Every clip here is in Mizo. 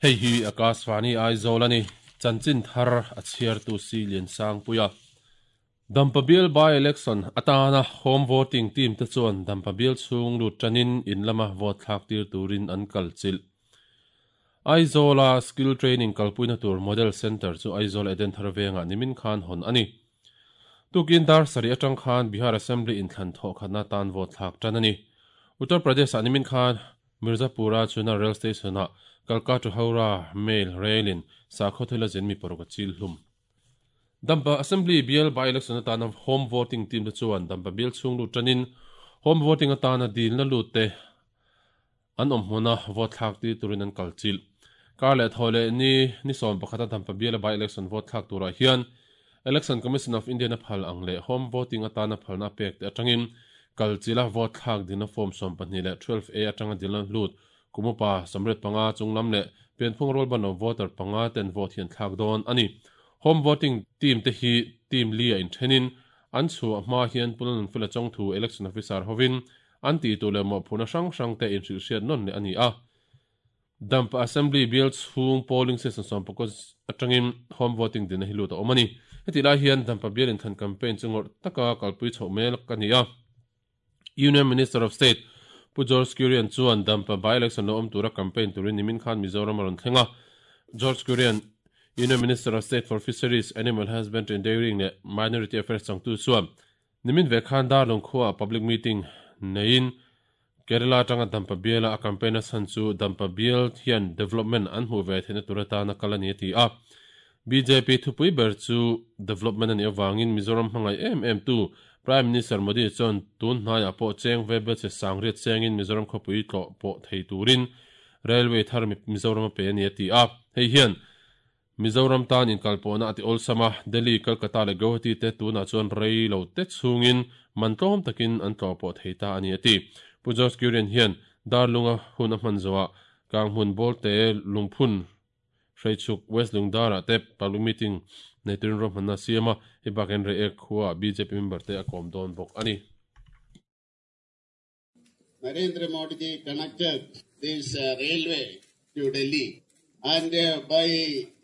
Hei hi Akashvani Aizawl a ni. Chanchin thar a chhiartu si Liansangpuia. Dampa bial by-election atana home voting team te chuan Dampa bial chhung lut tanin in lama vote thlak tir turin an kal chilh. Aizawla skill training kalpuina tur model centre chu Aizawl Edenthar vengah nimin khan hawn a ni. Tukin dar sarih atang khan Bihar Assembly inthlan thawh khatna tan vote thlak tan a ni. Uttar Pradesh-ah nimin khan Mirzapur-a Chunar rail station-ah Kalka to Howrah mail rail-in sakhaw thil a zin mi paruk a chil hlum. Dampa Assembly bial by-election atana home voting team te chuan Dampa bial chhung lut tanin home voting atana dilna lut te an awm hmuna vote thlak tir turin an kal chilh. Kar leh thaw leh ni ni 11 a Dampa biala by-election vote thlak turah hian Election Commission of India-in a phal ang leh home voting atana phalna a pek te atangin kal chilha vote thlak dilna form 12 leh 12A atanga dilna lut kum upa 85 chunglam leh pianphung rualban lo voter panga ten vote hi an thlak dawn a ni. Home voting team te hi team li a inthenin an chhuah hma hian Pu Lalnunfela Chawngthu Election Officer hovin an tih tur leh mawhphurhna hrang hrang te inhrilhhriat nawn leh a ni a. Dampa Assembly bial chhung polling station 11 atangin home voting dinna hi lut a awm a ni. Hetih lai hian Dampa bial inthlan campaign chu ngawrh taka kalpui chhoh mek a ni a. Union Minister of State Pu George Kurian chuan Dampa by-election lo awm tura campaign turin nimin khan Mizoram a rawn thleng a. George Kurian, Union Minister of State for Fisheries, Animal Husbandry and Dairying leh Minority Affairs changtu chuan nimin ve khan Darlawng khuaah public meeting neiin Kerala atanga Dampa biala a campaign a chhan chu Dampa bial hian development an hmuh ve theihna tur atana kal a ni a ti a. Bjp thupui ber chu development a nih avangin Mizoram hmangaih em em tu Prime Minister Modi chuan tun hnaiah pawh cheng ve bel che sangriat chengin Mizoram khawpui tlawh pawh thei turin railway thar Mizoram a pe a ni a ti a. Hei hian Mizoram tan inkalpawhna a ti awlsam a, Delhi, Kolkata leh Guwahati te tunah chuan rei lo te chhungin man tlawm takin an tlawh pawh thei ta a ni a ti. Pu George Kurian hian Darlunga hun a hman zawhah Kanghmun Bawlte lungphun Hreichuk West Lungdarah te public meeting nei turin ruahmanna a siam a, hei bakin Reiek khuaah bjp member te a kawm dawn bawk a ni. Narendra Modi ji connected this railway to Delhi and by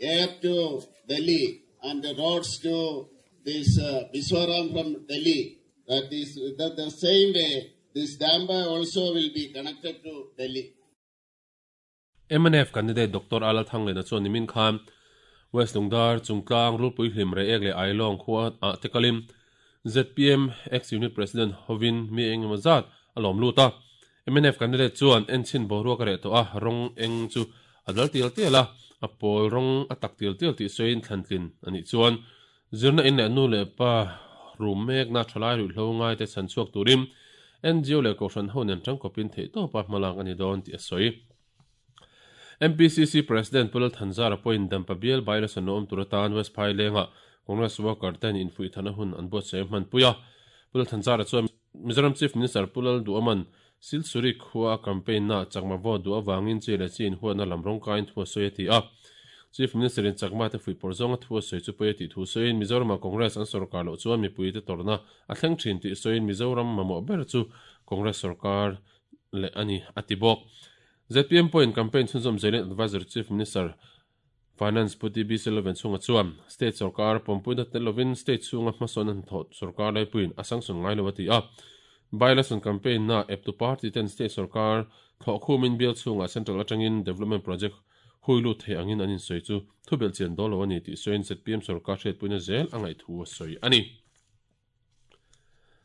air to Delhi and the roads to this Mizoram from Delhi. That is the same way this Dampa also will be connected to Delhi. Mnf candidate Doctor Alal Thanglena chuan nimin khan West Lungdar, Chungtlang, Rulpui Hlim, Reiek leh Ailawng khua ah te kalin zpm ex-unit president hovin mi eng emaw zat a lawm lut a. Mnf candidate chuan enchhin boruak a reh tawh a, rawng eng chu a dal tial tial a, a pawl rawng a tak tial tial tih sawiin thlantlin a nih chuan zirna in leh nu leh pa rum mekna thalai ruihhlo ngaite chhan chhuak turin NGO leh kohhran ho nen tangkawpin theihtawpa hmalak a ni dawn tih a sawi. MPCC President Pu Lalthanzara pawhin Dampa bial by-election lo awm tur atan West Phailengah Congress worker ten infuihthana hun an buatsaih a hmanpui a. Pu Lalthanzara chuan Mizoram Chief Minister Pu Lalduhaman Silchuri khua a campaign naah Chakma vote duh avangin chi leh chi inhuatna lam rawngkaiin thu a sawi a ti a. Chief Minister in Chakma te fuihpawrh zawnga thu a sawi chu pawi a tih thu sawiin Mizoramah Congress an sorkar loh chuan mipuite tawrhna a thleng thin tih sawiin Mizoram mamawh ber chu Congress sorkar leh a ni a ti bawk. Zpm pawhin campaign chhunzawm zelin Adviser Chief Minister Finance Pu TB Selloven chhunga chuan state sorkar pawmpuina tel lovin state chhunga hmasawn a hnathawh sorkar laipuiin a sanction ngai lo a ti a. By-election campaign na eptu party ten state sorkar thlawh khumin bial chhungah central atangin development project hui lut thei angin an insawi chu thubelh chian dawn lo a ni tih sawiin zpm sorkar hriatpuina zel a ngaih thu a sawi a ni.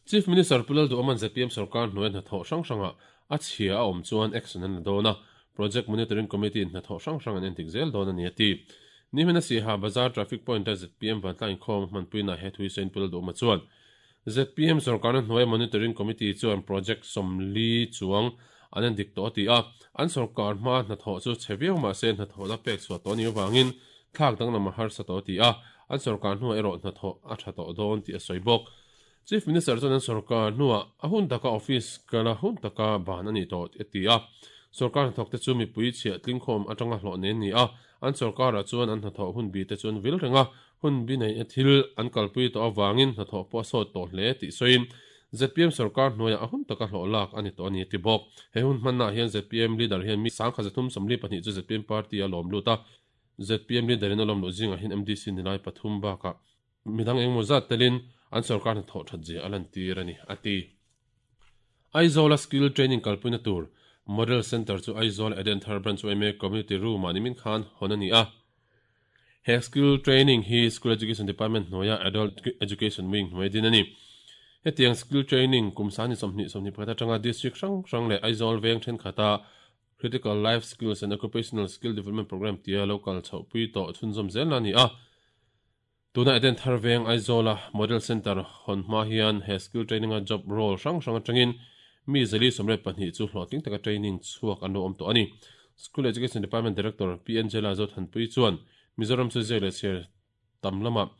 Chief Minister Pu Lalduhaman zpm sorkar hnuaia hnathawh hrang hrangah a chhia a awm chuan action an la dawn a, Project Monitoring Committee in hnathawh hrang hrang an endik zel dawn a ni a ti. Nihmina Siaha Bazar Traffic Point-a zpm vantlang inkhawm hmanpuinaah he thui sawiin Pu Lalduhama chuan zpm sorkarna hnuaia Monitoring Committee chuan project 40 chuang an endik tawh a ti a, an sorkar hma hnathawh chu chhe viau mah se hnathawhna pek chhuah tawh a nih avangin thlak danglam a harsa tawh a ti a, an sorkar hnuah erawh hnathawh a tha tawh dawn tih a sawi bawk. Chief Minister chuan an sorkar hnuah a hun taka office kal a hun taka ban a ni tawh a ti a, sorkar hnathawk te chu mipui chhiah tlingkhawm atanga hlawh nen ni a, an sorkarah chuan an hnathawh hun bi te chu an vil reng a, Hun bi nei a thil an kalpui tawh avangin hnathawh pawh a sawt tawh hle tih sawiin zpm sorkar hnuaiah a hun taka hlawh lak a ni tawh a ni a ti bawk. He hun hmannaah hian zpm leader hian mi 1342 chu zpm party a lawm lut a, zpm leader in a lawm luh zingah hian MDC nilai pathum bakah midang engemaw zat telin an sorkar hnathawh that zia a lantir a ni a ti. Aizawla skill training kalpuina tur Model Centre chu Aizawl Edenthar Branch yma Community Room-ah nimin khan hawn a ni a. He skill training hi School Education Department hnuaia Adult Education Wing hnuai din a ni. Hetiang skill training kum sani 20 21 atanga district hrang hrang leh Aizawl veng thenkhata Critical Life Skills and Occupational Skill Development Programme tia lo kal chhohpui tawh chhunzawm zel a ni a. Tuna Edenthar veng Aizawla Model Centre hawn hma hian he skill training-a job role hrang hrang atangin mi 422 chu hlawhtling taka training chhuak an lo awm tawh a ni. School Education Department Director Pi Angela Zothanpui chuan Mizoram chu ziak leh chhiar tam lamah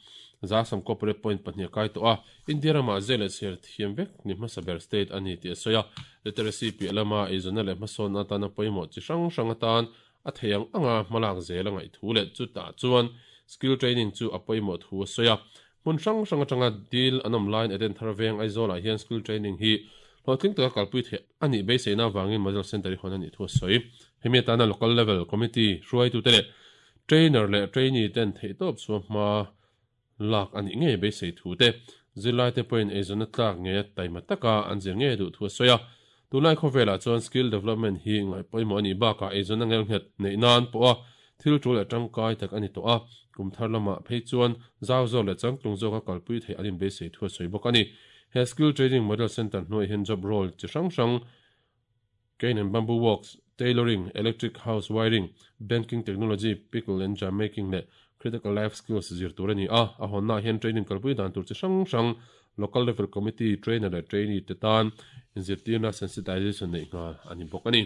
198 point pahnih a kai tawh a, India ramah ziak leh chhiar thiam vek ni hmasa ber state a ni tih a sawi a. Literacy piah lama eizawnna leh hmasawnna atana pawimawh chi hrang hrang atan a thei ang anga hmalak zel a ngaih thu leh chutah chuan skill training chu a pawimawh thu a sawi a. Hmun hrang hrang atanga dil an awm laiin Edenthar veng Aizawlah hian skill training hi hlawhtling taka kalpui theih a nih beiseina avangin Model Centre hi hawn a nih thu a sawi. Hemi atana Local Level Committee hruaitute leh trainer leh trainee ten theihtawp chhuah hma lak a nih ngei beisei thu te, zirlaite pawhin eizawnna tlak ngeia taima taka an zir ngei duh thu a sawi a. Tunlai khawvelah chuan skill development hi ngaih pawimawh a nih bakah eizawnna ngelnghet neih nan pawha thil tul leh tangkai tak a ni tawh a, kum thar lamah phei chuan zau zawk leh changtlung zawka kalpui theih an inbeisei thu a sawi bawk a ni. He skill training model centre hnuaiah hian job role chi hrang hrang, Cane and Bamboo Works, Tailoring, Electric House Wiring, Banking Technology, Pickle and Jam Making leh Critical Life Skills zir tur a ni a. A hawnnaah hian training kalpui dan tur chi hrang hrang Local Level Committee, Trainer leh Trainee te tan inzirtirna, sensitization, neih nghal a ni bawk a ni.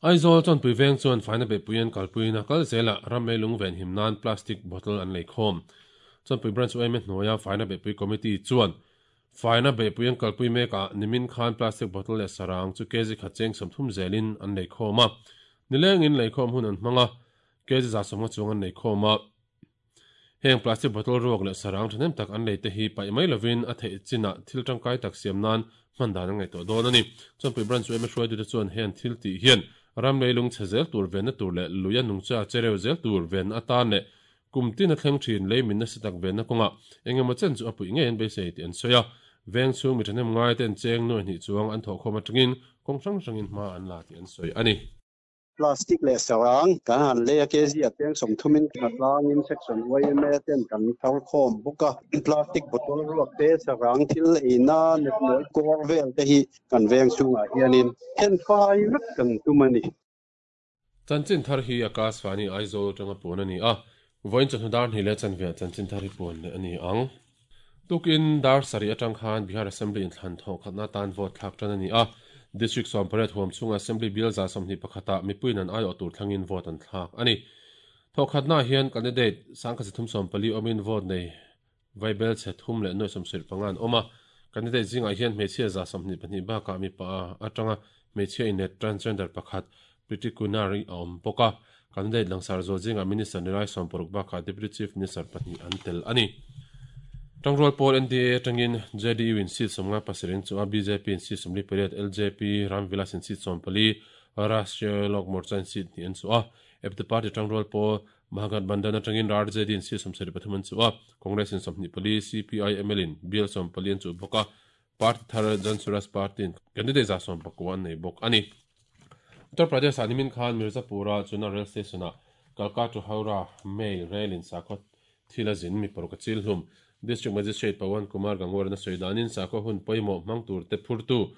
Aizawl Chawnpui Veng chuan faina beihpui an kalpuiin a kal zelah ram leilung venhim nan plastic bottle an lei khawm. Chawnpui Branch yma hnuaia faina beihpui committee chuan Faina beihpui an kalpui mek ah nimin khan plastic bottle leh sarang chu kg khat cheng 30 zelin an lei khawm a. Nilengin leikhawm hun an hmang a, kg 150 chuang an lei khawm a. Heng plastic bottle ruak leh sarang thahnem tak an lei te hi paih mai lovin a theih chinah thil tangkai tak siam nan hman dan an ngaihtuah dawn a ni. Chawnpui Branch yma hruaitute chuan heng thil tih hian ram leilung chhe zel tur venna tur leh lui a nungcha chereu zel tur venna atan leh Kum tin a thleng thin lei min nasa tak venna kawngah eng emaw chen chu a puih ngei an beisei tih an sawi a. Veng chhung mi thahnem ngai ten cheng nuai hnih chuang an thawhkhawm atangin kawng hrang hrangin hma an la tih an sawi a ni. Plastic leh sarang kan han lei a, kg a cheng 30 in hnatlangin section yma ten kan thar khawm bawk a. Plastic bottle ruak te, sarang thil eina nepnawi kawr vel te hi kan veng chhungah hianin thenfai vek kan tum a ni. Chanchin thar hi Akashvani Aizawl atanga puan a ni a, vawiin chawhnu dar hnih leh chanveah chanchin thar hi puan leh a ni ang. Tukin dar sarih atang khan Bihar Assembly inthlan thawh khatna atan vote thlak tan a ni a, District 18 huam chhunga Assembly bial 21 ah mipuiin an aiawh tur thlangin vote an thlak a ni. Thawh khatnaah hian candidate 1340 awmin vote nei Vaibel chhe thum leh nuai 75 an awm a, candidate zingah hian hmeichhia 22 bakah mipa atanga hmeichhia inlet transgender pakhat Priti Kunar a awm bawk a. Candidate langsar zual zingah Minister nilai 60 bakah Deputy Chief Minister pahnih an tel a ni. Tangrual pawl NDA atangin JDU in seat 57 in chu a, bjp in seat 48, LJP, Ram Vilas in seat 14, Rashtriya Lok Morcha in seat hnih an chu a, eptu party tangrual pawl Mahagathbandhan atangin RJD in seat 73 an chuh a, Congress in 24, CPI ML in bial 14 an chuh bawk a, party thar Jan Suraaj Party in candidate 19 an nei bawk a ni. Uttar Pradesh ah nimin khan Mirzapur-a Chunar Rail Station ah Kalka to Howrah Mail Rail in sakhaw thil a zin mi paruk a chil hlum. District Magistrate Pawan Kumar Gangwar in a sawi danin sakhaw hun pawimawh hmang tur te phurtu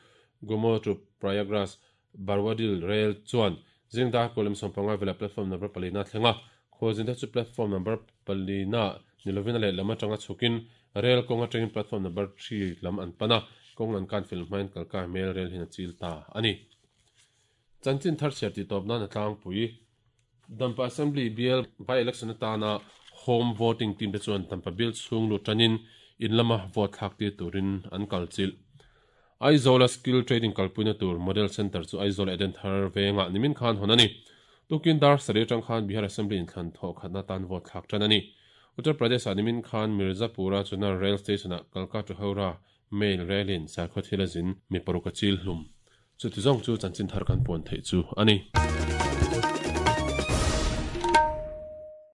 Gomo to Prayagraj Barwadil Rail chuan zingdar kawlem 15 velah platform number palina a thleng a, khualzinte chu platform number palina ni lovin a lehlam atanga chhukin rail kawng atangin platform number 3 lam an pan a, kawng an kan fel hmain kalkai hmel rail hian a chil ta a ni. Chanchin thar chhiar tih tawp nan a tlangpui. Dampa Assembly bial by-election atana home voting team te chuan Dampa bial chhung lut tanin in lama vote thlak tir turin an kal chilh. Aizawla skill training kalpuina tur Model Centre chu Aizawl Edenthar vengah nimin khan hawn a ni. Tukin dar sarih atang khan Bihar Assembly inthlan thawh khatna tan vote thlak tan a ni. Uttar Pradesh-ah nimin khan Mirzapur-a Chunar Rail Station-ah Kalka to Howrah Mail Rail-in sakhaw thil a zin mi paruk a chil hlum. Chuti zawng chu chanchin thar kan puan theih chu a ni.